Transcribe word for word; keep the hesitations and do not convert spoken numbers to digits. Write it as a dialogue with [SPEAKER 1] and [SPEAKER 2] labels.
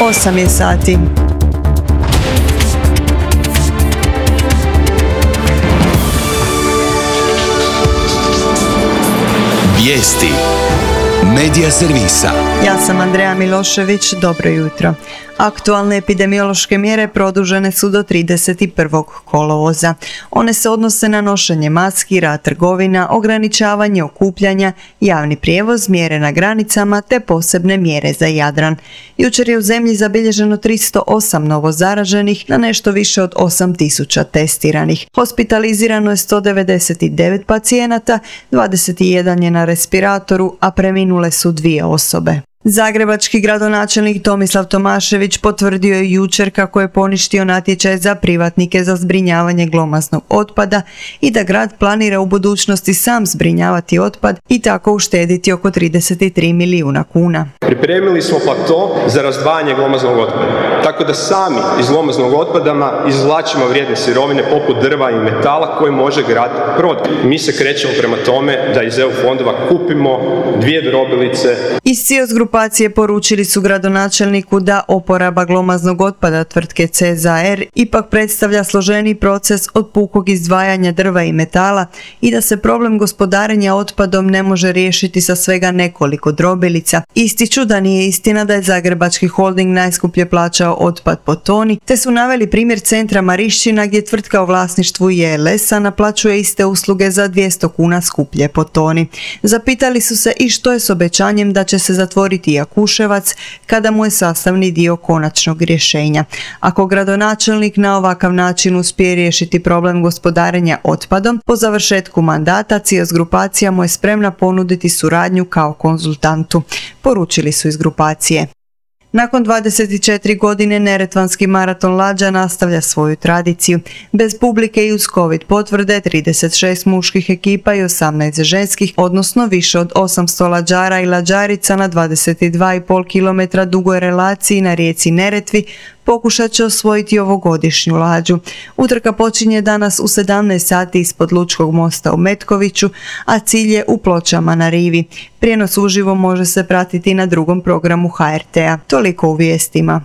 [SPEAKER 1] osam je sati.
[SPEAKER 2] Vijesti Medija servisa.
[SPEAKER 1] Ja sam Andreja Milošević, dobro jutro. Aktualne epidemiološke mjere produžene su do trideset prvog kolovoza. One se odnose na nošenje maski, rad trgovina, ograničavanje okupljanja, javni prijevoz, mjere na granicama te posebne mjere za Jadran. Jučer je u zemlji zabilježeno tristo osam novo zaraženih na nešto više od osam tisuća testiranih. Hospitalizirano je sto devedeset devet pacijenata, dvadeset jedan je na respiratoru, a preminule su dvije osobe. Zagrebački gradonačelnik Tomislav Tomašević potvrdio je jučer kako je poništio natječaj za privatnike za zbrinjavanje glomaznog otpada i da grad planira u budućnosti sam zbrinjavati otpad i tako uštediti oko trideset tri milijuna kuna.
[SPEAKER 3] Pripremili smo plato za razdvajanje glomaznog otpada, tako da sami iz glomaznog otpada izvlačimo vrijedne sirovine poput drva i metala koje može grad prodati. Mi se krećemo prema tome da iz E U fondova kupimo dvije drobilice.
[SPEAKER 1] Iz CIOS grupacije poručili su gradonačelniku da oporaba glomaznog otpada tvrtke C Z A R ipak predstavlja složeni proces od pukog izdvajanja drva i metala i da se problem gospodarenja otpadom ne može riješiti sa svega nekoliko drobilica. Ističu da nije istina da je Zagrebački holding najskuplje plaćao otpad po toni, te su naveli primjer centra Marišćina gdje tvrtka u vlasništvu J L S-a naplaćuje iste usluge za dvjesto kuna skuplje po toni. Zapitali su se i što je s obećanjem da će se zatvoriti Jakuševac kada mu je sastavni dio konačnog rješenja. Ako gradonačelnik na ovakav način uspije riješiti problem gospodarenja otpadom, po završetku mandata CIOS grupacija mu je spremna ponuditi suradnju kao konzultantu, poručili su iz grupacije. Nakon dvadeset četiri godine Neretvanski maraton lađa nastavlja svoju tradiciju. Bez publike i uz covid potvrde trideset šest muških ekipa i osamnaest ženskih, odnosno više od osamsto lađara i lađarica na dvadeset dva i pol kilometra dugoj relaciji na rijeci Neretvi pokušat će osvojiti ovogodišnju lađu. Utrka počinje danas u sedamnaest sati ispod Lučkog mosta u Metkoviću, a cilj je u Pločama na rivi. Prijenos uživo može se pratiti na drugom programu H R T-a. Toliko u vijestima.